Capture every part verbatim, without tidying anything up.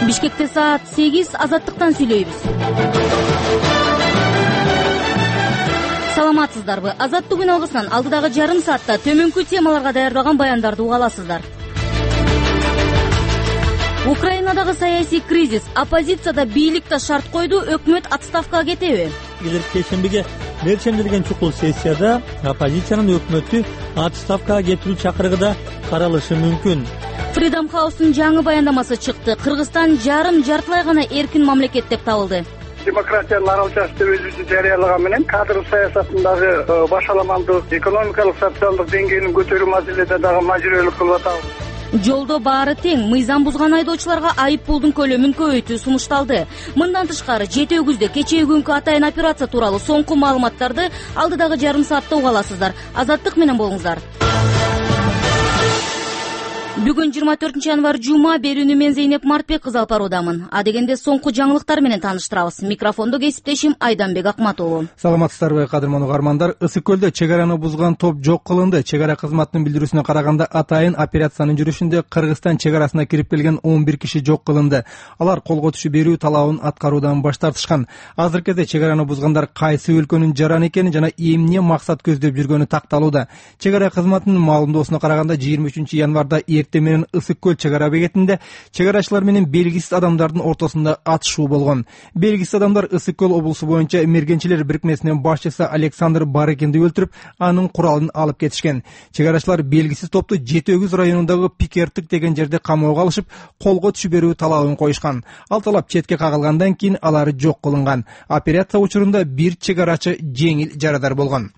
Бишкекте саат сегиз, Азаттыктан сүйлөйбүз. Саламатсыздарбы? Азаттык күн алгысынан алдыдагы жарым саатта төмөнкү темаларга даярдалган баяндарды уга аласыздар. Украинадагы саясий кризис, оппозицияда бийликте шарт койду, өкмөт отставкага кетеби? Келерки чечимге беришилген чукул сессияда оппозициянын өкмөттү отставкага кетирүү чакырыгы да каралышы мүмкүн. Freedom House'ун жаңы баяндамасы чыкты. Кыргызстан жарым жартылай гана эркин мамлекет деп табылды. Демократиянын аралчасы деп өзүнүн жарыялаган менен кадр саясатындагы башаламандык, экономикалык, социалдык деңгээлин көтөрүү маселеде дагы мажбүрөлүк кылып атабыз. Жолдо баары тең, мыйзам бузган айдоочуларга айып пулдун көлөмүн көбөйтүү сунушталды. Мындан тышкары жети өгүздө кечээ күнкү атайын операция тууралуу соңку маалыматтарды алдыдагы жарым саатта уга аласыздар. Азаттык менен болуңуздар. Бүгүн жыйырма төртүнчү январь жума, берүүнү мен Зейнеп Мартбек кызы алып баруудамын. Адегенде соңку жаңылыктар менен тааныштырабыз. Микрофондо кесиптешим Айданбек Акмат уулу. Саламатсыздарбы, кадырман угармандар? Ысык көлдө чек араны бузган топ жок кылынды. Чек ара кызматынын билдирүүсүнө караганда, атайын операциянын жүрүшүндө Кыргызстан чек арасына кирип келген он бир киши жок кылынды. Алар колго түшүп берүү талабын аткаруудан баш тартышкан. Азыркы кезде чек араны бузгандар кайсы өлкөнүн жараны экени жана эмне максат көздөп жүргөнү такталууда. Чек ара кызматынын маалымдоосуна караганда, жыйырма үчүнчү январда менен Ысык көл чек ара бекетинде чек арачылар менен белгисиз адамдардын ортосунда атышуу болгон. Белгисиз адамдар Ысык көл облусу боюнча мергенчилер бирикмесинин башчысы Александр Барыкинди өлтүрүп, анын куралын алып кетишкен. Чек арачылар белгисиз топту жети өгүз районундагы Пикертик деген жерде камоого алышып, колго түшүп берүү талабын коюшкан. Ал талап четке кагылгандан кийин алар жок кылынган. Операция учурунда бир чек арачы жеңил жарадар болгон.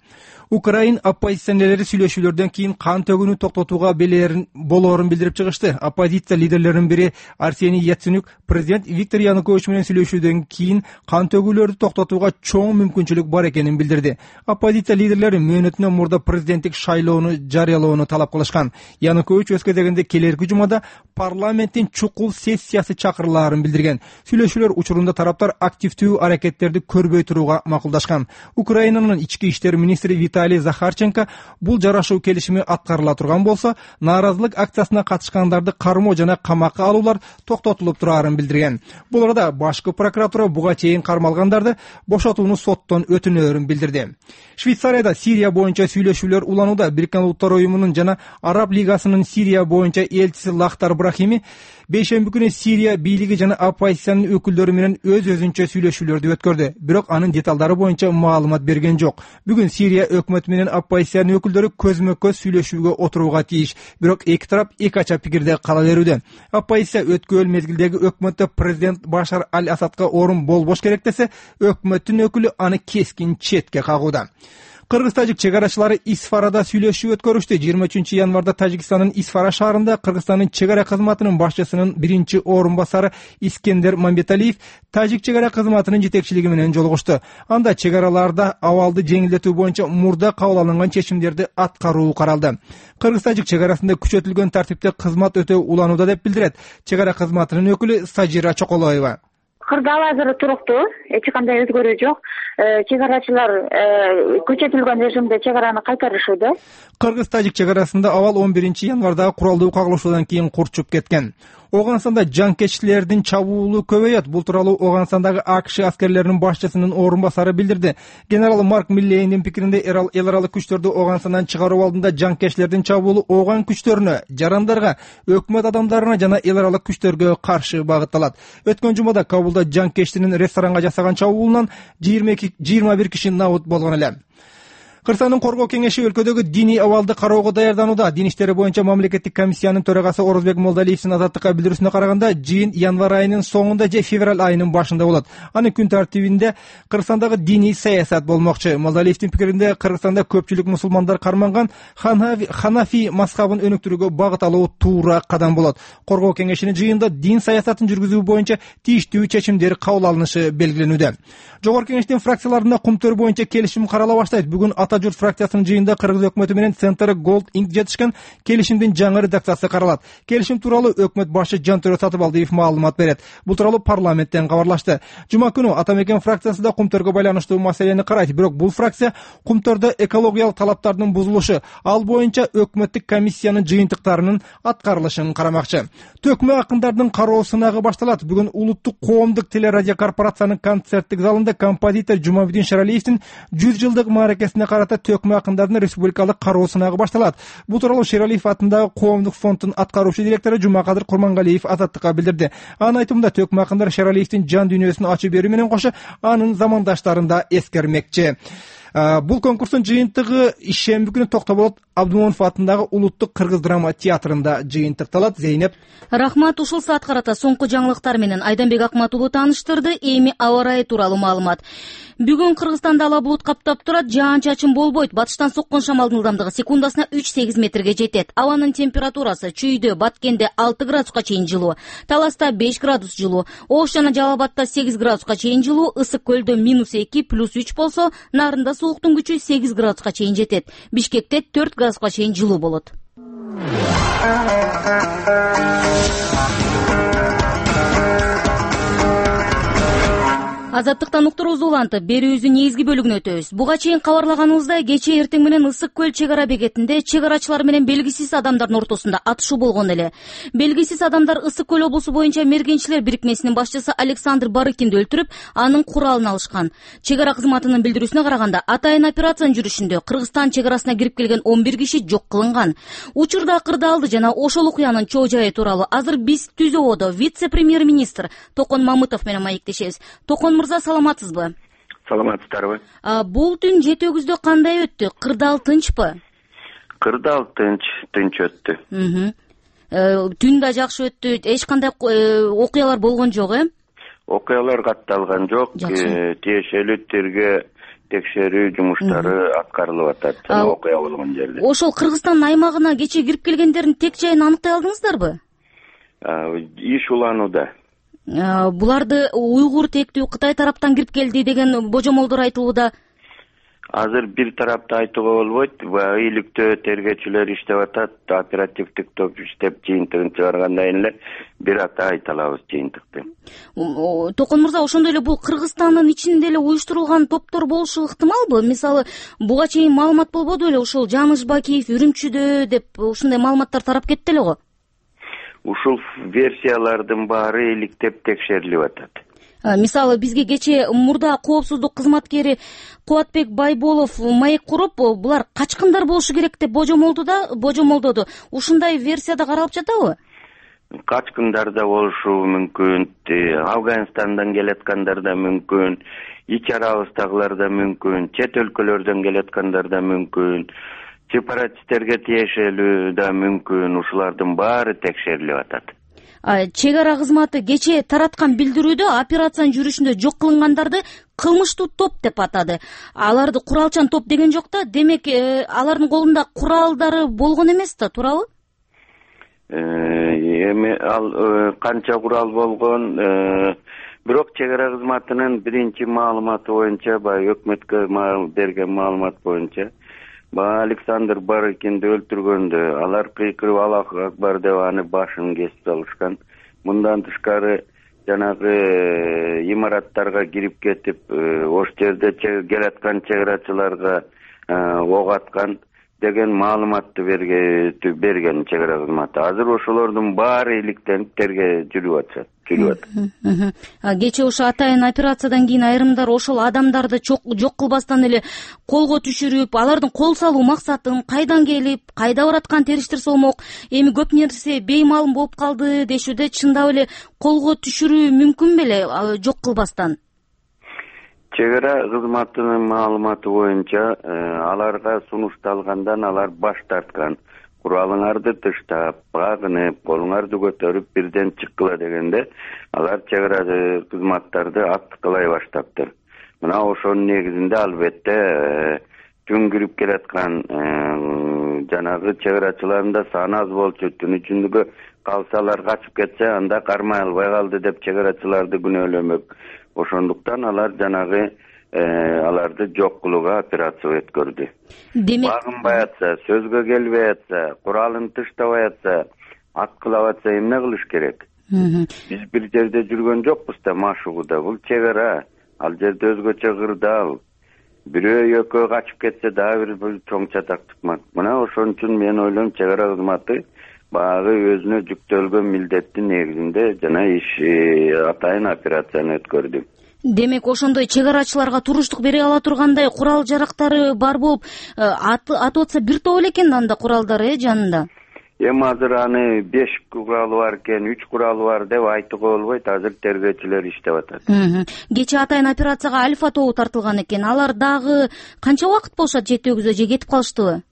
Украин оппозиционерлери сүйлөшүүлөрдөн кийин кан төгүүнү токтотууга белерин болоорун билдирип чыгышты. Оппозиция лидерлеринин бири Арсений Яценюк президент Виктор Янукович менен сүйлөшүүдөн кийин кан төгүүлөрдү токтотууга чоң мүмкүнчүлүк бар экенин билдирди. Оппозиция лидерлери мөөнөтүнөн мурда президенттик шайлоону жарыялоону талап кылышкан. Янукович өз кезегинде келерки жумада парламенттин чукул сессиясы чакырылаарын билдирген. Сүйлөшүүлөр учурунда тараптар активдүү аракеттерди көрбөй турууга макулдашкан. Украинанын ички иштер министри Виталий Захарченко бул жарашуу келишими аткарыла турган болсо, нааразылык акциясына катышкандарды кармоо жана камакка алуулар токтотулуп тураарын билдирген. Бул арада башкы прокуратура буга чейин кармалгандарды бошотууну соттон өтүнөөрүн билдирди. Швейцарияда Сирия боюнча сүйлөшүүлөр уланууда. Бириккен Улуттар уюмунун жана Араб лигасынын Сирия боюнча элчиси Лахтар Брахими бейшемби күнү Сирия бийлиги жана оппозициянын өкүлдөрү менен өз-өзүнчө сүйлөшүүлөрдү өткөрдү. Бирок анын деталдары боюнча маалымат берген жок. Бүгүн Сирия өкмөтү менен оппозициянын өкүлдөрү көзмө-көз сүйлөшүүгө отурууга тийиш. Бирок эки тарап эки ача пикирде кала берүүдө. Оппозиция өткөн мезгилдеги өкмөттө президент Башар аль-Асадка орун болбош керек десе, өкмөттүн өкүлү аны кескин четке кагууда. Кыргыз-тажик чек арачылары Исфарада сүйлөшүү өткөрүштү. жыйырма үчүнчү январда Тажикстандын Исфара шаарында Кыргызстандын чек ара кызматынын башчысынын биринчи орун басары Искендер Мамбеталиев тажик чек ара кызматынын жетекчилиги менен жолугушту. Анда чек араларда абалды жеңилдетүү боюнча мурда кабыл алынган чечимдерди аткаруу каралды. Кыргыз-тажик чек арасында күчөтүлгөн тартипте кызмат өтө уланууда деп билдирет чек ара кызматынын өкүлү Сажира Чоколоева. Кырдаал азыр туруктуу, эч кандай өзгөрүү жок. Чек арачылар күчөтүлгөн режимде чек араны кайтарышууда. Кыргыз-тажик чек арасында абал он биринчи январда куралдуу кагылышуудан кийин курчуп кеткен. Оганстанда жанкечтилердин чабуулу көбөйөт. Бул тууралуу Оганстандагы АКШ аскерлеринин башчысынын орун басары билдирди. Генерал Марк Миллейндин пикиринде эл аралык күчтөрдү Оганстандан чыгаруу алдында жанкечтилердин чабуулу оган күчтөрүнө, жарандарга, өкмөт адамдарына жана эл аралык күчтөргө каршы багытталат. Өткөн жумада Кабулда жанкечтинин ресторанга жасаган чабуулунан жыйырма бир киши набыт болгон эле. Кыргызстандын коргоо кеңеши өлкөдөгү диний абалды кароого даярданууда. Дин иштери боюнча мамлекеттик комиссиянын төрагасы Орозбек Молдалиевдин Азаттыкка билдирүүсүнө караганда, жыйын январь айынын соңунда же февраль айынын башында болот. Анын күн тартибинде Кыргызстандагы диний саясат болмокчу. Молдалиевдин пикиринде, Кыргызстанда көпчүлүк мусулмандар карманган Ханафи мазхабын өнүктүрүүгө багыт алуу туура кадам болот. Коргоо кеңешинин жыйында дин саясатын жүргүзүү боюнча тийиштүү чечимдер кабыл алынышы белгиленүүдө. Жогорку кеңештин фракцияларында кумтөр боюнча келишим карала баштайт. Бүгүн ата Ата журт фракциясынын жыйынында кыргыз өкмөтү менен Центр Gold Incorporated жетишкен келишимдин жаңы редакциясы каралат. Келишим тууралуу өкмөт башы Жантөрө Сатыбалдиев маалымат берет. Бул тууралуу парламенттен кабарлашты. Жума күнү Ата Мекен фракциясы да кумтөргө байланыштуу маселени карайт, бирок бул фракция кумтөрдө экологиялык талаптардын бузулушу, ал боюнча өкмөттүк комиссиянын жыйынтыктарынын аткарылышын карамакчы. Төкмө акындардын кароо сынагы башталат. Бүгүн улуттук коомдук телерадио корпорациянын концерттик залында композитор Жумабудин Шералиевдин жүз жылдык мааракесине карата төкмө акындардын республикалык кароо сынагы башталат. Бул тууралуу Шералиев атындагы коомдук фонддун аткаруучу директору Жумакадыр Курмангалиев Азаттыкка билдирди. Анын айтымында төкмө акындар Шералиевдин жан дүйнөсүн ачып берүү менен кошо анын замандаштарын да эскермекчи. Бул конкурстун жыйынтыгы ишемби күнү Токтоболот Абдумомунов атындагы улуттук кыргыз драма театрында жыйынтыкталат. Зейнеп. Рахмат, ушул саат карата соңку жаңылыктар менен Айданбек Акмат уулу тааныштырды. Эми аба ырайы тууралуу маалымат. Бүгүн Кыргызстанда ала булут каптап турат, жаан-чачын болбойт. Батыштан соккон шамалдын ылдамдыгы секундасына үч сегиз метрге жетет. Абанын температурасы Чүйдө, Баткенде алты градуска чейин жылуу, Таласта беш градус жылуу, Ош жана Жалал Абадта сегиз градуска чейин жылуу, Ысык көлдө минус эки, плюс үч болсо, Нарында сууктун күчү сегиз градуска чейин жетет. Бишкекте төрт градуска чейин жылуу болот. Азаттыктан уктуруубузду улантып, берүүбүздүн негизги бөлүгүнө өтөбүз. Буга чейин кабарлаганыбыздай, кечээ эртең менен Ысык көл чек ара бекетинде чек арачылар менен белгисиз адамдардын ортосунда атышуу болгон эле. Белгисиз адамдар Ысык көл облусу боюнча мергенчилер бирикмесинин башчысы Александр Барыкинди өлтүрүп, анын куралын алышкан. Чек ара кызматынын билдирүүсүнө караганда, атайын операциянын жүрүшүндө Кыргызстан чек арасына кирип келген он бир киши жок кылынган. Учурда кырдаалды жана ошол окуянын чоо жайы тууралуу азыр биз Түзөбодо вице-премьер-министр Токон Мамытов менен маектешебиз. Токон мырза, саламатсызбы? Саламатсыздарбы? Бул түн жети өгүздө кандай өттү? Кырдаал тынчпы? Кырдаал тынч, тынч өттү. Түн да жакшы өттү. Эч кандай окуялар болгон жок, э? Окуялар катталган жок. Тиешелүү тергөө текшерүү жумуштары аткарылып атат. Окуя болгон жерде. Ошол Кыргызстандын аймагына кечээ кирип келгендердин тек жайын аныктай алдыңыздарбы? Иш уланууда. Буларды уйгур тектүү Кытай тараптан кирип келди деген божомолдор айтылууда. Азыр бир тарапты айтууга болбойт. Ыйлыктөө тергөөчүлөр иштеп атат, оперативдик топ иштеп жыйынтыгын чыгаргандан эле бир ата айта алабыз жыйынтыкты. Токон мырза, ошондой эле бул Кыргызстандын ичинде эле уюштурулган топтор болушу ыктымалбы? Мисалы, буга чейин маалымат болбоду беле, ушул Жаныш Бакиев Үрүмчүдө деп ушундай маалыматтар тарап кетти эле го. Ушул версиялардын баары иликтеп текшерилип атат. Мисалы, бизге кечээ мурда коопсуздук кызматкери Кубатбек Байболов маек куруп, булар качкындар болушу керек деп божомолдоду, божомолдоду. Ушундай версияда каралып жатабы? Качкындар да болушу мүмкүн, Афганистандан келаткандар да мүмкүн, ич арабыздагылар да мүмкүн, чет өлкөлөрдөн келаткандар да мүмкүн, сепаратисттерге тиешелүү да мүмкүн. Ушулардын баары текшерилип атат. Чек ара кызматы кечээ тараткан билдирүүдө операциянын жүрүшүндө жок кылынгандарды кылмыштуу топ деп атады. Аларды куралчан топ деген жок да, демек алардын колунда куралдары болгон эмес да, туурабы? Эми ал канча курал болгон, бирок чек ара кызматынын биринчи маалыматы боюнча, баягы өкмөткө берген маалымат боюнча, Александр Барыкинди өлтүргөндө алар кыйкырып Аллах акбар деп аны башын кесип салышкан. Мындан тышкары жанагы имараттарга кирип кетип, ош жерде келаткан чек арачыларга ок аткан деген маалыматты берген чек ара кызматы. Азыр ошолордун баары иликтенип тергөө жүрүп атат. Кечээ ошо атайын операциядан кийин айрымдар ошол адамдарды жок кылбастан эле колго түшүрүп, алардын кол салуу максатын, кайдан келип, кайда бараткан териштирсе болмок, эми көп нерсе беймаалым болуп калды дешүүдө, чындап эле колго түшүрүү мүмкүн беле жок кылбастан? Чек ара кызматынын маалыматы боюнча, аларга сунушталгандан алар баш тарткан. Куралыңарды тыштап, багынып, колуңарды көтөрүп бирден чыккыла дегенде, алар чек ара кызматтарды аттыкылай баштаптыр. Мына ошонун негизинде албетте түн кирип келаткан жанагы чек арачылардын да саны аз болчу. Түн ичиндеги калсалар качып кетсе, анда кармай албай калды деп чек арачыларды күнөөлөмөк. Ошондуктан алар жанагы аларды жок кылууга операция өткөрдү. Демек, багынбай атса, сөзгө келбей атса, куралын тыштабай атса, аткылап атса эмне кылыш керек? Биз бир жерде жүргөн жокпуз да машыгууда. Бул чек ара. Ал жерде өзгөчө кырдаал. Бирөө экөө качып кетсе дагы бир чоң чатак чыкмак. Мына ошон үчүн мен ойлойм, чек ара кызматы баягы өзүнө жүктөлгөн милдеттин негизинде жана иш атайын операцияны өткөрдү. Демек, ошондой чек арачыларга туруштук бере ала тургандай курал жарактары бар болуп, атып атса бир топ эле экен анда куралдары э жанында. Эми азыр аны беш куралы бар экен, үч куралы бар деп айтууга болбойт. Азыр тергөөчүлөр иштеп атат. Кечээ атайын операцияга Альфа тобу тартылган экен. Алар дагы канча убакыт болушат жетүүгүзө же кетип калыштыбы?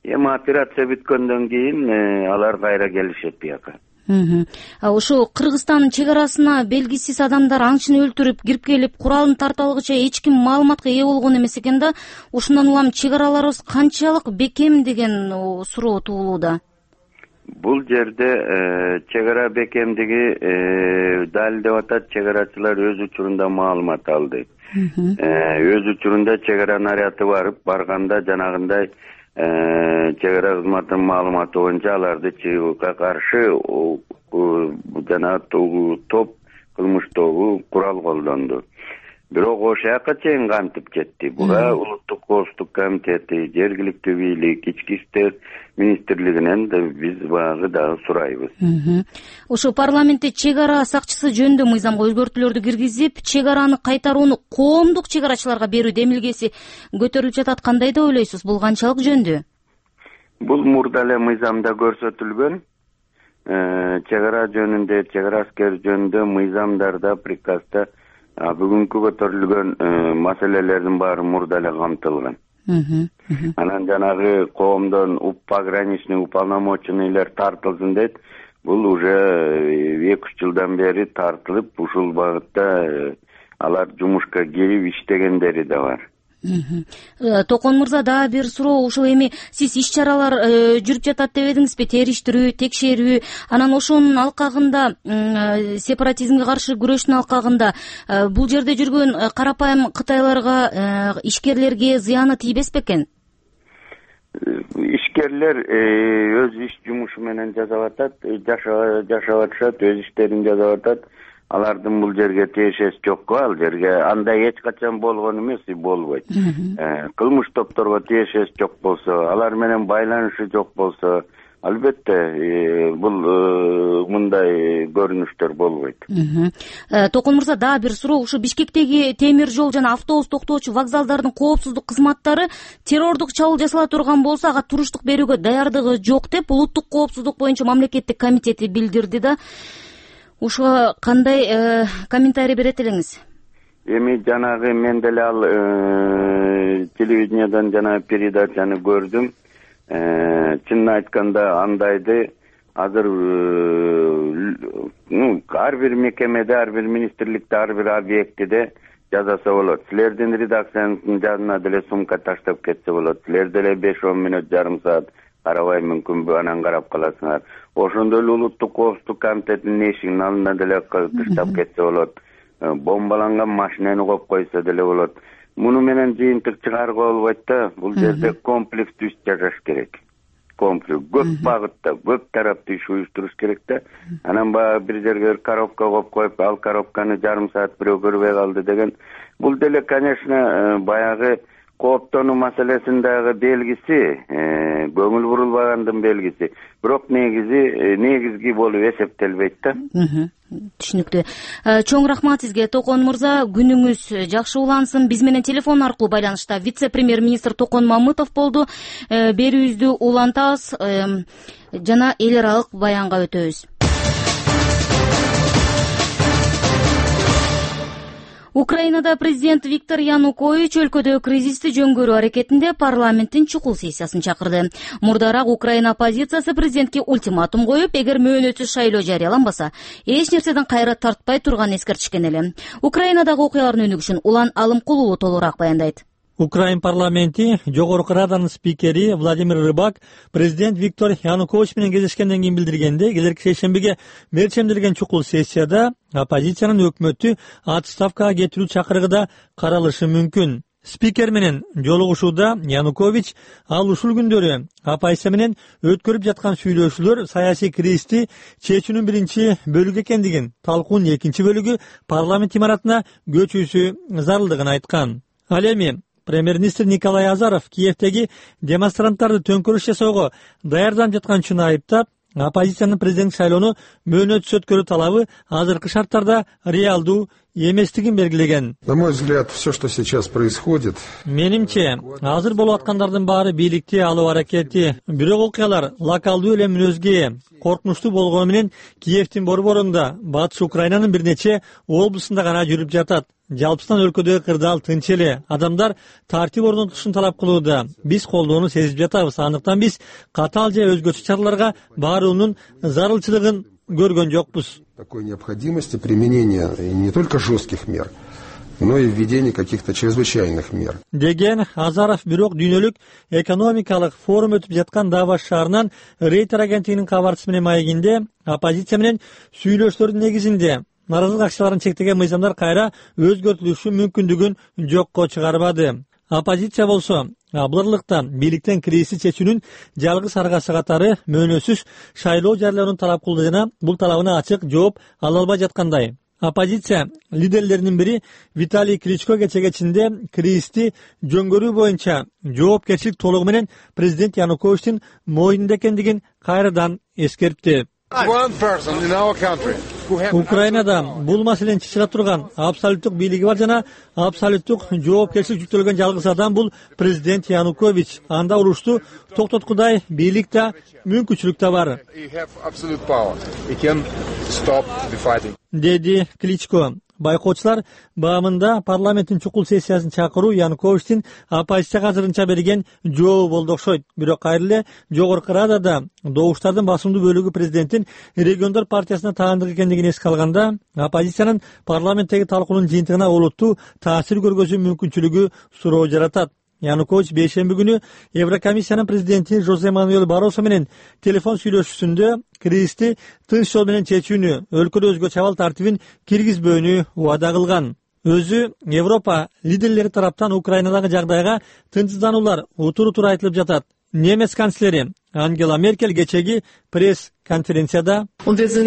Эми операция бүткөндөн кийин алар кайра келишет бияка. Ошо Кыргызстан чек арасына белгисиз адамдар аңчыны өлтүрүп, кирип келип, куралын тарта алгыча эч ким маалыматка ээ болгон эмес экен да. Ушундан улам чек араларыбыз канчалык бекем деген суроо туулууда. Бул жерде чек ара бекемдиги далилдеп атат. Чек арачылар өз учурунда маалымат алды. Өз учурунда чек ара наряды барып, барганда жанагындай чек ара кызматынын маалыматы боюнча аларды чыгууга каршы жана топ кылмыштогу курал колдонду. Бирок ошол жака чейин кантип жетти? Буга улуттук коопсуздук комитети, жергиликтүү бийлик, ички иштер министрлигинен да биз баягы дагы сурайбыз. Ошо парламентте чек ара сакчысы жөнүндө мыйзамга өзгөртүүлөрдү киргизип, чек араны кайтарууну коомдук чек арачыларга берүү демилгеси көтөрүлүп жатат. Кандай деп ойлойсуз? Бул канчалык жөндүү? Бул мурда эле мыйзамда көрсөтүлгөн. Чек ара жөнүндө, чек ара аскер жөнүндө мыйзамдарда, приказда бүгүнкү көтөрүлгөн маселелердин баары мурда эле камтылган. Анан жанагы коомдон пограничный уполномоченныйлар тартылсын дейт. Бул уже эки үч жылдан бери тартылып, ушул багытта алар жумушка кирип иштегендери да бар. Токон мырза, дагы бир суроо. Ушул эми сиз иш чаралар жүрүп жатат деп эдиңизби? Териштирүү, текшерүү, анан ошонун алкагында, сепаратизмге каршы күрөштүн алкагында бул жерде жүргөн карапайым кытайларга, ишкерлерге зыяны тийбес бекен? Ишкерлер өз иш жумушу менен жасап атат, жашап атышат, өз иштерин жасап атат. Алардын бул жерге тиешеси жокко, ал жерге андай эч качан болгон эмес, болбойт. Кылмыш топторго тиешеси жок болсо, алар менен байланышы жок болсо, албетте бул мындай көрүнүштөр болбойт. Токон мырза, дагы бир суроо. Ушу Бишкектеги темир жол жана автобус токтоочу вокзалдардын коопсуздук кызматтары террордук чабуул жасала турган болсо, ага туруштук берүүгө даярдыгы жок деп улуттук коопсуздук боюнча мамлекеттик комитети билдирди да. Ушуга кандай комментарий берет элеңиз? Эми жанагы мен деле ал телевидениядан жана передачаны көрдүм. Чынын айтканда андайды азыр ну ар бир мекемеде, ар бир министрликте, ар бир объектиде жазаса болот. Силердин редакциянын жанына деле сумка таштап кетсе болот. Силер деле беш он мүнөт, жарым саат карабай мүмкүнбү, анан карап каласыңар. Ошондой эле улуттук коопсуздук комитетинин эшигинин алдына деле таштап кетсе болот. Бомбаланган машинени коюп койсо деле болот. Муну менен жыйынтык чыгарууга болбойт да. Бул жерде комплекстүү иш жасаш керек. Комплекс көп багытта, көп тараптуу иш уюштуруш керек да. Анан баягы бир жерге коробка коюп коюп, ал коробканы жарым саат бирөө көрбөй калды деген. Бул деле, конечно, баягы кооптонуу маселесинин дагы белгиси, көңүл бурулбагандын белгиси. Бирок негизи негизги болуп эсептелбейт да. Түшүнүктүү. Чоң рахмат сизге, Токон мырза. Күнүңүз жакшы улансын. Биз менен телефон аркылуу байланышта вице-премьер-министр Токон Мамытов болду. Берүүбүздү улантабыз жана эл аралык баянга өтөбүз. Украинада президент Виктор Янукович өлкөдө кризисти жөнгөрүү аракетинде парламенттин чукул сессиясын чакырды. Мурдараак Украина оппозициясы президентке ультиматум коюп, эгер мөөнөтсүз шайлоо жарыяланбаса, эч нерседен кайра тартпай турганын эскертишкен эле. Украинадагы окуялардын өнүгүшүн Улан Алымкулуу толугураак баяндайт. Украин парламенти Жогорку Раданын спикери Владимир Рыбак президент Виктор Янукович менен кездешкенден кийин билдиргенде, келерки шейшембиге мерчемделген чукул сессияда оппозициянын өкмөттү отставкага кетирүү чакырыгы да каралышы мүмкүн. Спикер менен жолугушууда Янукович ал ушул күндөрү оппозиция менен өткөрүп жаткан сүйлөшүүлөр саясий кризисти чечүүнүн биринчи бөлүгү экендигин, талкуунун экинчи бөлүгү парламент имаратына көчүүсү зарылдыгын айткан. Ал эми премьер-министр Николай Азаров Киевдеги демонстранттарды төңкөрүш жасоого даярданып жаткан айыптап, оппозициянын президент шайлоону мөөнөтсүз өткөрүү талабы азыркы шарттарда реалдуу эместигин белгилеген. На мой взгляд, все, что сейчас происходит. Менимче, азыр болуп аткандардын баары бийликти алуу аракети. Бирок окуялар локалдуу эле мүнөзгө коркунучтуу болгону менен Киевдин борборунда, батыш Украинанын бир нече облусунда гана жүрүп жатат. Жалпысынан өлкөдөгү кырдаал тынч эле. Адамдар тартип орнотушун талап кылууда. Биз колдоону сезип жатабыз. Андыктан биз катаал же өзгөчө чараларга баруунун зарылчылыгын көргөн жокпуз. Такой необходимости применения не только жестких мер, но и введения каких-то чрезвычайных мер. Деген Азаров бирок дүйнөлүк экономикалык форум өтүп жаткан Давос шаарынан Рейтер агенттигинин кабарчысы менен маегинде оппозиция менен сүйлөшүүлөрдүн негизинде наразылык акцияларын чектеген мыйзамдар кайра өзгөртүлүшү мүмкүндүгүн жокко чыгарбады. Оппозиция болсо абылырлыкта бийликтен кризисти чечүүнүн жалгыз аргасы катары мөөнөтсүз шайлоо жарыялоону талап кылды жана бул талабына ачык жооп ала албай жаткандай. Оппозиция лидерлеринин бири Виталий Кличко кече кечинде кризисти жөнгөрүү боюнча жоопкерчилик толугу менен президент Януковичтин мойнунда экендигин кайрадан эскертти. Украинада бул маселени чечире турган абсолюттук бийлиги бар жана абсолюттук жоопкерчилик жүктөлгөн жалгыз адам бул президент Янукович. Анда урушту токтоткудай бийлик да, мүмкүнчүлүк да бар, деди Кличко. Байкоочулар баамында парламенттин чукул сессиясын чакыруу Януковичтин оппозицияга азырынча берген жообу болду окшойт. Бирок кайра эле Жогорку Радада добуштардын басымдуу бөлүгү президенттин региондор партиясына таандык экендигин эске алганда, оппозициянын парламенттеги талкуунун жыйынтыгына олуттуу таасир көргөзүү мүмкүнчүлүгү суроо жаратат. Янукович бейшемби күнү Еврокомиссиянын президенти Жозе Мануэль Барросо менен телефон сүйлөшүүсүндө кризисти тынч жол менен чечүүнү, өлкөдө өзгөчө абал тартибин киргизбөөнү убада кылган. Өзү Европа лидерлери тараптан Украинадагы жагдайга тынчсыздануулар утур-утур айтылып жатат. Немец канцлери Ангела Меркель кечеги пресс-конференцияда биз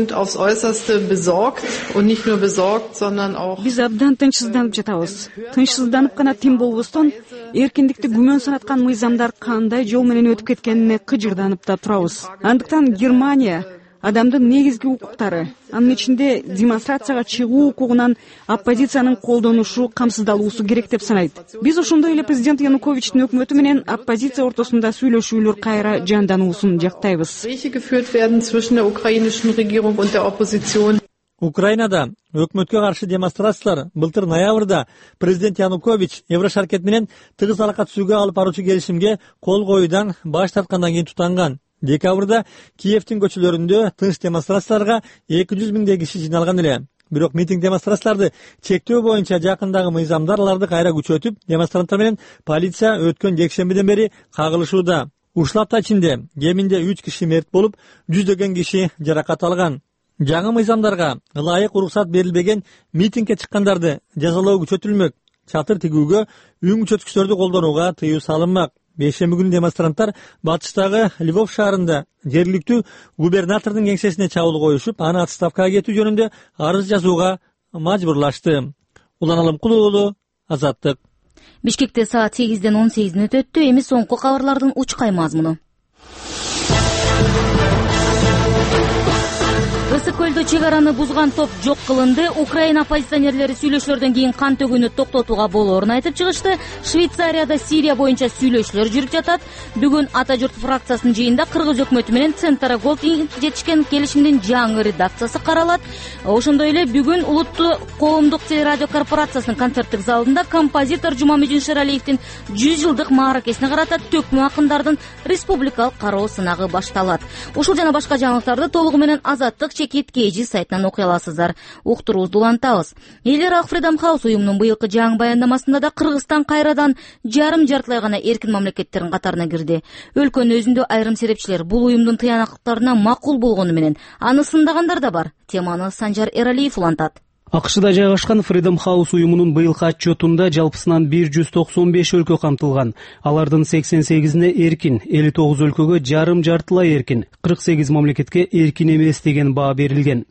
абдан тынчсызданып жатабыз. Тынчсызданып гана тим болбостон, эркиндикти күмөн санаткан мыйзамдар кандай жол менен өтүп кеткенине кыжырданып да турабыз. Андыктан Германия адамдын негизги укуктары, анын ичинде демонстрацияга чыгуу укугунан оппозициянын колдонушу камсыздалуусу керек деп санайт. Биз ошондой эле президент Януковичтин өкмөтү менен оппозиция ортосунда сүйлөшүүлөр кайра жандануусун жактайбыз. Украинада өкмөткө каршы демонстрациялар былтыр ноябрда президент Янукович Еврошаркет менен тыгыз алака түзүүгө алып баруучу келишимге кол коюудан баш тарткандан кийин тутанган. Декабрда Киевдин көчөлөрүндө тынч демонстрацияларга эки жүз миңдей киши жиналган эле. Бирок митинг демонстрацияларды чектөө боюнча жакындагы мыйзамдар аларды кайра күчөтүп, демонстранттар менен полиция өткөн жекшембиден бери кагылышууда. Ушул апта ичинде кеминде үч киши мерт болуп, жүздөгөн киши жаракат алган. Жаңы мыйзамдарга ылайык уруксат берилбеген митингге чыккандарды жазалоо күчөтүлмөк. Чатыр тигүүгө, үн күчөткүчтөрдү колдонууга тыюу салынмак. Бейшемби күнү демонстранттар батыштагы Львов шаарында жергиликтүү губернатордун кеңсесине чабуул коюшуп, аны отставкага кетүү жөнүндө арыз жазууга мажбурлашты. Улан Алымкулов уулу, Азаттык. Бишкекте саат сегизден он сегиз мүнөт өттү. Эми соңку кабарлардын учкай мазмуну. Ысык көлдө чек араны бузган топ жок кылынды. Украина оппозиционерлери сүйлөшүүлөрдөн кийин кан төгүүнү токтотууга болоорун айтып чыгышты. Швейцарияда Сирия боюнча сүйлөшүүлөр жүрүп жатат. Бүгүн Ата журт фракциясынын жыйынында Кыргыз өкмөтү менен Центра Голд жетишкен келишимдин жаңы редакциясы каралат. Ошондой эле бүгүн Улуттуу коомдук телерадио корпорациясынын концерттик залында композитор Жумамедин Шералиевдин жүз жылдык мааракесине карата төкмө акындардын республикалык кароо сынагы башталат. Ушул жана башка жаңылыктарды толугу менен Азаттык мамлекет кей сайтынан окуй аласыздар. Уктуруубузду улантабыз. Эл аралык Freedom House уюмунун быйылкы жаңы баяндамасында да Кыргызстан кайрадан жарым жартылай гана эркин мамлекеттердин катарына кирди. Өлкөнүн өзүндө айрым серепчилер бул уюмдун тыянактыктарына макул болгону менен аны сындагандар да бар. Теманы Санжар Эралиев улантат. АКШда жайгашкан Freedom House уюмунун быйылкы отчетунда жалпысынан бир жүз токсон беш өлкө камтылган. Алардын сексен сегизине эркин, элүү тогуз өлкөгө жарым жартылай эркин, кырк сегиз мамлекетке эркин эмес деген баа берилген.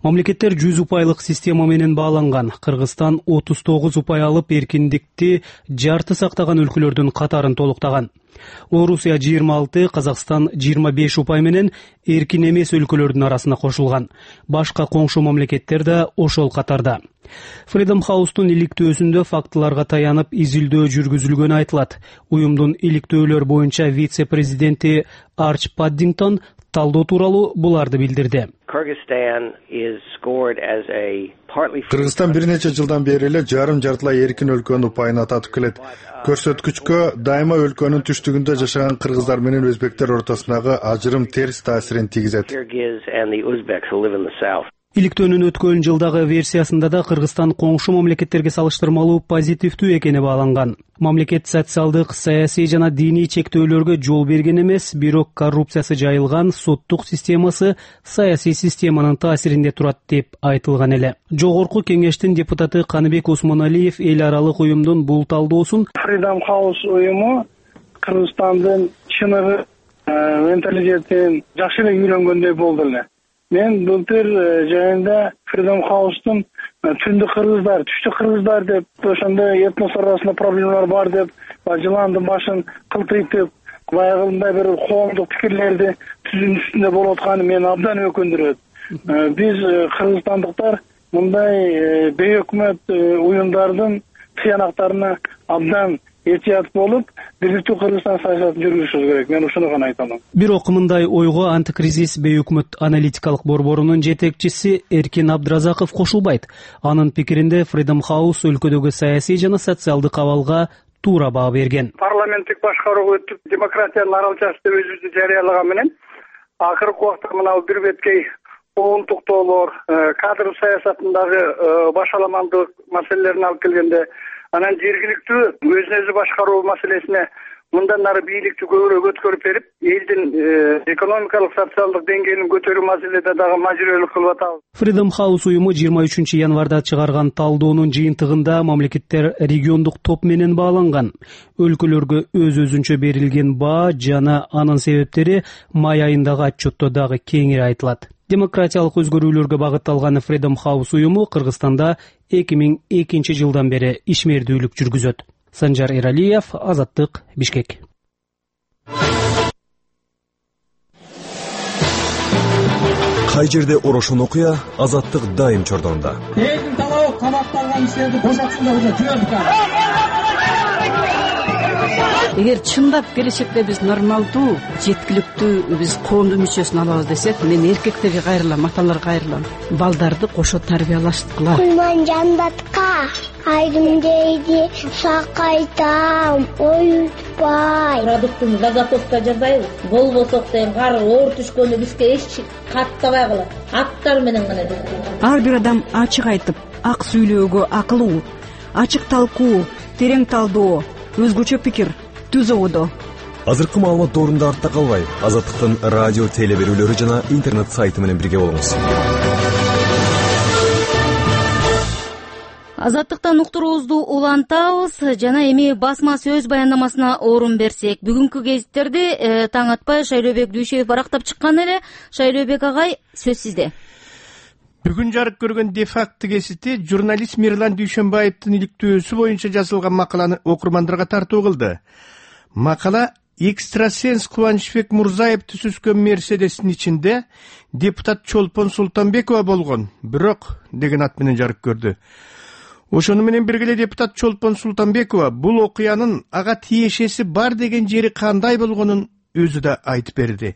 Мамлекеттер жүз упайлык система менен бааланган. Кыргызстан отуз тогуз упай алып эркиндикти жарты сактаган өлкөлөрдүн катарын толуктаган. Орусия жыйырма алты, Казакстан жыйырма беш упай менен эркин эмес өлкөлөрдүн арасына кошулган. Башка коңшу мамлекеттер да ошол катарда. Freedom House'тун иликтөөсүндө фактыларга таянып изилдөө жүргүзүлгөнү айтылат. Уюмдун иликтөөлөр боюнча вице-президенти Арч Паддингтон талдоо тууралуу буларды билдирди. Кыргызстан бир нече жылдан бери эле жарым жартылай эркин өлкөнүн упайына татып келет. Көрсөткүчкө дайыма өлкөнүн түштүгүндө жашаган кыргыздар менен өзбектер ортосундагы ажырым терс таасирин тийгизет. Иликтөөнүн өткөн жылдагы версиясында да Кыргызстан коңшу мамлекеттерге салыштырмалуу позитивдүү экени бааланган. Мамлекет социалдык, саясий жана диний чектөөлөргө жол берген эмес, бирок коррупциясы жайылган соттук системасы саясий системанын таасиринде турат деп айтылган эле. Жогорку кеңештин депутаты Каныбек Осмоналиев эл аралык уюмдун бул талдоосун Freedom House уюму Кыргызстандын чыныгы менталитетин жакшы эле үйрөнгөндөй болду эле. Мен былтыр жайында Freedom House'тун түндүк кыргыздар, түштүк кыргыздар деп, ошондой этнос арасында проблемалар бар деп, жыландын башын кылтыйтып, баягындай бир коомдук пикирлерди түзүүнүн үстүндө болуп атканы мени абдан өкүндүрөт. Биз кыргызстандыктар мындай бейөкмөт уюмдардын тыянактарына абдан этият болуп, бирдиктүү Кыргызстан саясатын жүргүзүшүбүз керек. Мен ушуну гана айта алам. Бирок мындай ойго антикризис бейөкмөт аналитикалык борборунун жетекчиси Эркин Абдразаков кошулбайт. Анын пикиринде Freedom House өлкөдөгү саясий жана социалдык абалга туура баа берген. Парламенттик башкарууга өтүп, демократиянын аралчасы деп өзүбүздү жарыялаган менен акыркы убакта мына бир беткей оонтуктоолор, кадр саясатындагы башаламандык маселелерин алып келгенде, анан жергиликтүү өзүн өзү башкаруу маселесине мындан ары бийликти көбүрөөк өткөрүп берип, элдин экономикалык, социалдык деңгээлин көтөрүү маселеде дагы мажбүрөлүк кылып атабыз. Freedom House уюму жыйырма үчүнчү январда чыгарган талдоонун жыйынтыгында мамлекеттер региондук топ менен бааланган. Өлкөлөргө өз-өзүнчө берилген баа жана анын себептери май айындагы отчетто дагы кеңири айтылат. Демократиялык өзгөрүүлөргө багытталган Freedom House уюму Кыргызстанда эки миң экинчи жылдан бери ишмердүүлүк жүргүзөт. Санжар Эралиев, Азаттык, Бишкек. Кай жерде орошон окуя, Азаттык дайым чордонда. Элдин талабы камакталган кишилерди бошотсундар, уже жүрөбүз. Эгер чындап келечекте биз нормалдуу, жеткиликтүү биз коомдун мүчөсүн алабыз десек, мен эркектерге кайрылам, аталарга кайрылам. Балдарды кошо тарбиялаштыкыла. Кулман жандатка айрым дейди, сакайтам, оютпай. Продуктун заготовка жасайбыз. Болбосок дейм, кар оор түшкөндө бизге эч каттабай калат. Аттар менен гана жасайбыз. Ар бир адам ачык айтып, ак сүйлөөгө акылуу, ачык талкуу, терең талдоо, өзгөчө пикир түз ободо. Азыркы маалымат доорунда артта калбай, Азаттыктын радио теле берүүлөрү жана интернет сайты менен бирге болуңуз. Азаттыктан уктуруубузду улантабыз жана эми басма сөз баяндамасына орун берсек, бүгүнкү гезиттерди э, таң атпай Шайлообек Дүйшөев барактап чыккан эле. Шайлообек агай, сөз сизде. Бүгүн жарык көргөн де-факто гезити журналист Мирлан Дүйшөнбаевдин иликтөөсү боюнча жазылган макаланы окурмандарга тартуу кылды. Макала экстрасенс Кубанычбек Мурзаевди сүзгөн Мерседестин ичинде депутат Чолпон Султанбекова болгон, бирок деген ат менен жарык көрдү. Ошону менен бирге эле депутат Чолпон Султанбекова бул окуянын ага тиешеси бар деген жери кандай болгонун өзү да айтып берди.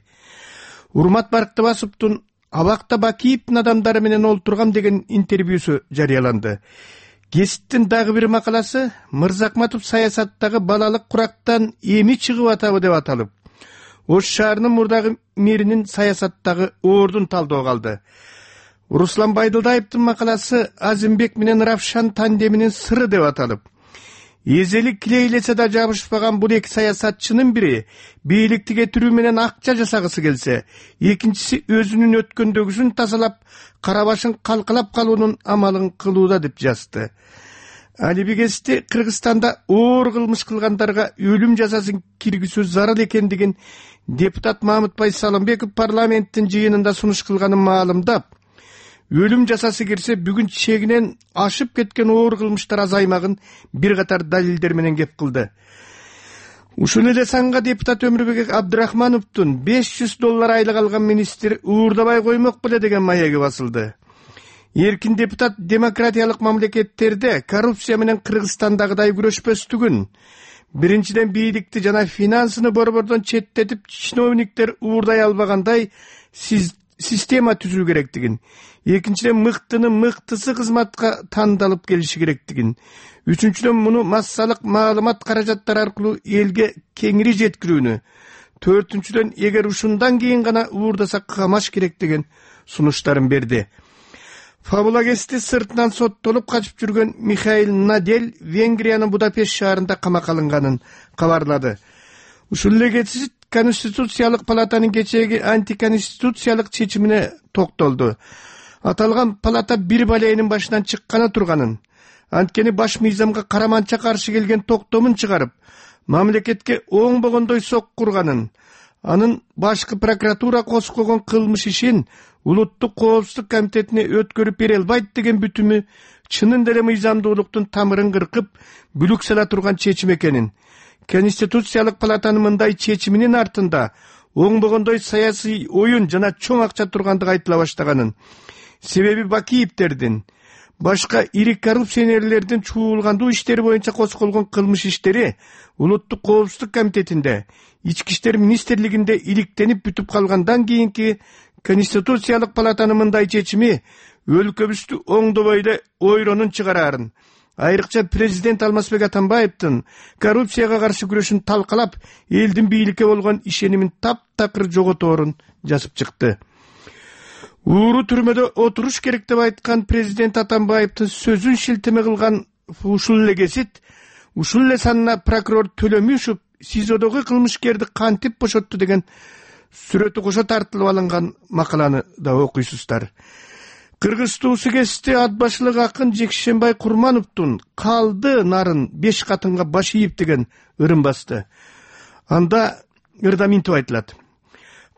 Урмат Барктыбасовдун Абакта Бакиевдин адамдары менен олтургам деген интервьюсу жарыяланды. Гезиттин дагы бир макаласы Мырзакматов саясаттагы балалык курактан эми чыгып атабы деп аталып, Ош шаарынын мурдагы мэринин саясаттагы ордун талдоого алды. Руслан Байдылдаевдин макаласы Азимбек менен Равшан тандеминин сыры деп аталып, эзели килейлесе да жабышпаган бул эки саясатчынын бири бийликти кетирүү менен акча жасагысы келсе, экинчиси өзүнүн өткөндөгүсүн тазалап, кара башын калкалап калуунун амалын кылууда деп жазды. Алибигести Кыргызстанда оор кылмыш кылгандарга өлүм жазасын киргизүү зарыл экендигин депутат Мамытбай Салымбеков парламенттин жыйынында сунуш кылганын маалымдап, өлүм жазасы кирсе бүгүн чегинен ашып кеткен оор кылмыштар азаймагын бир катар далилдер менен кеп кылды. Ушул эле санга депутат Өмүрбек Абдрахмановдун беш жүз доллар айлык алган министр уурдабай коймок беле деген маеги басылды. Эркин депутат демократиялык мамлекеттерде коррупция менен Кыргызстандагыдай күрөшпөстүгүн, биринчиден бийликти жана финансыны борбордон четтетип, чиновниктер уурдай албагандай сиз система түзүү керектигин, экинчиден мыктынын мыктысы кызматка тандалып келиши керектигин, үчүнчүдөн муну массалык маалымат каражаттары аркылуу элге кеңири жеткирүүнү, төртүнчүдөн эгер ушундан кийин гана уурдаса камаш керек деген сунуштарын берди. Фабулагести сыртынан соттолуп качып жүргөн Михаил Надель Венгриянын Будапешт шаарында камакка алынганын кабарлады. Ушул эле кечи Конституциялык палатанын кечээги антиконституциялык чечимине токтолду. Аталган палата бир балейнин башынан чыкканы турганын, анткени баш мыйзамга караманча каршы келген токтомун чыгарып, мамлекетке оңбогондой сок курганын, анын башкы прокуратура коскогон кылмыш ишин Улуттук коопсуздук комитетине өткөрүп бере албайт деген бүтүмү чынын деле мыйзамдуулуктун тамырын кыркып, бүлүк сала турган чечим экенин, Конституциялык палатанын мындай чечиминин артында оңбогондой саясий оюн жана чоң акча тургандыгы айтыла баштаганын, себеби Бакиевдердин, башка ири коррупционерлердин чуулгандуу иштери боюнча козголгон кылмыш иштери Улуттук коопсуздук комитетинде, Ички иштер министрлигинде иликтенип бүтүп калгандан кийинки Конституциялык палатанын мындай чечими өлкөбүздү оңдобой эле ойронун чыгарарын, айрыкча президент Алмазбек Атамбаевдин коррупцияга каршы күрөшүн талкалап, элдин бийликке болгон ишенимин таптакыр жоготорун жазып чыкты. Ууру түрмөдө отуруш керек деп айткан президент Атамбаевдин сөзүн шилтеме кылган ушул эле кесит, ушул эле санына прокурор Төлөмүшев СИЗОдогу кылмышкерди кантип бошотту деген сүрөтү кошо тартылып алынган макаланы да окуйсуздар. Кыргыз туусу кести ат башылык акын Жекшенбай Курмановдун калды нарын беш катынга баш ийип деген ырын басты. Анда ырда минтип айтылат.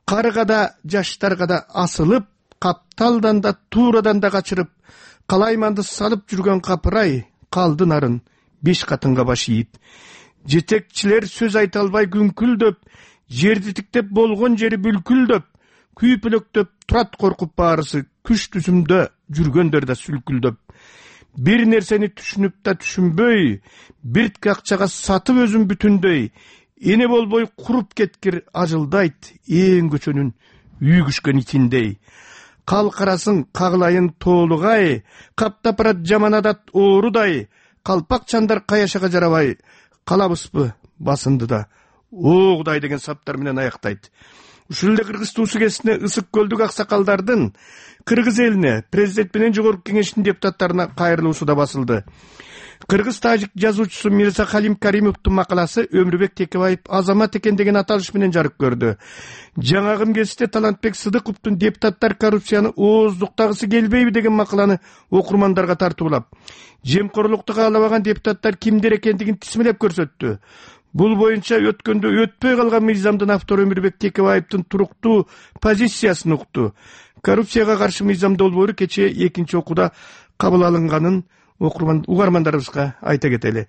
Карга да жаштарга да асылып, капталдан да туурадан да качырып, калайманды салып жүргөн капырай калды нарын беш катынга баш ийип. Жетекчилер сөз айта албай күңкүлдөп, жерди тиктеп болгон жери бүлкүлдөп, күйпөлөктөп турат коркуп баарысы, күч түзүмдө жүргөндөр да сүлкүлдөп. Бир нерсени түшүнүп да түшүнбөй, биртке акчага сатып өзүн бүтүндөй, эне болбой куруп кеткир ажылдайт ээн көчөнүн үйгүшкөн итиндей. Калкарасын кагылайын тоолугай, каптап барат жаман адат оорудай, калпак чандар каяшага жарабай, калабызбы басынды да оогудай деген саптар менен аяктайт. Ушул эле Кыргыз туусу кесине ысык көлдүк аксакалдардын Кыргыз элине, президент менен жогорку кеңештин депутаттарына кайрылуусу да басылды. Кыргыз-тажик жазуучусу Мирза Халим Каримовдун макаласы Өмүрбек Текебаев азамат экен деген аталыш менен жарык көрдү. Жаңагым кесте Талантбек Сыдыковдун депутаттар коррупцияны ооздуктагысы келбейби деген макаланы окурмандарга тартуулап, жемкорлукту каалабаган депутаттар кимдер экендигин тизмелеп көрсөттү. Бул боюнча өткөндө өтпөй калган мыйзамдын автору Өмүрбек Текебаевдин туруктуу позициясын укту. Коррупцияга каршы мыйзам долбоору кечээ экинчи окууда кабыл алынганын окурман угармандарыбызга айта кетели.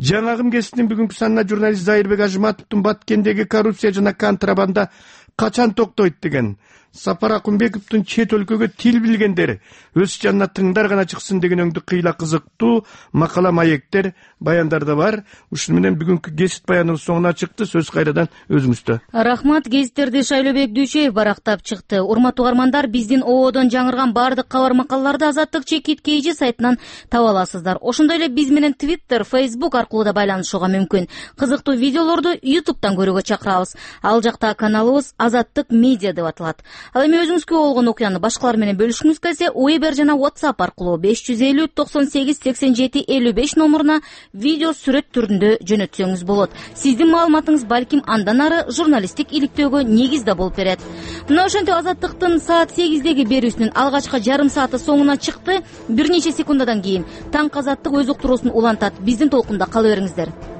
Жаңагым кеситинин бүгүнкү санына журналист Зайырбек Ажыматовдун Баткендеги коррупция жана контрабанда качан токтойт деген, Сапар Акунбековдун чет өлкөгө тил билгендер өз жанына тыңдар гана чыксын деген өңдү кыйла кызыктуу макала маектер баяндарда бар. Ушуну менен бүгүнкү кесит баяныбыз соңуна чыкты. Сөз кайрадан өзүңүздө. Рахмат. Гезиттерди Шайлообек Дүйшөев барактап чыкты. Урматтуу угармандар, биздин оодон жаңырган баардык кабар макалаларды Азаттык чекит kg сайтынан таба аласыздар. Ошондой эле биз менен Twitter, Facebook аркылуу да байланышууга мүмкүн. Кызыктуу видеолорду YouTube'дан көрүүгө чакырабыз. Ал жакта каналыбыз Азаттык медиа деп аталат. Ал эми өзүңүзгө болгон окуяны башкалар менен бөлүшкүңүз келсе, Viber жана WhatsApp аркылуу беш жүз элүү токсон сегиз сексен жети элүү беш номуруна видео сүрөт түрүндө жөнөтсөңүз болот. Сиздин маалыматыңыз балким андан ары журналисттик иликтөөгө негиз да болуп берет. Мына ошентип Азаттыктын саат сегиздеги берүүсүнүн алгачкы жарым сааты соңуна чыкты. Бир нече секундадан кийин Таң Азаттык өз уктуруусун улантат. Биздин толкунда кала бериңиздер.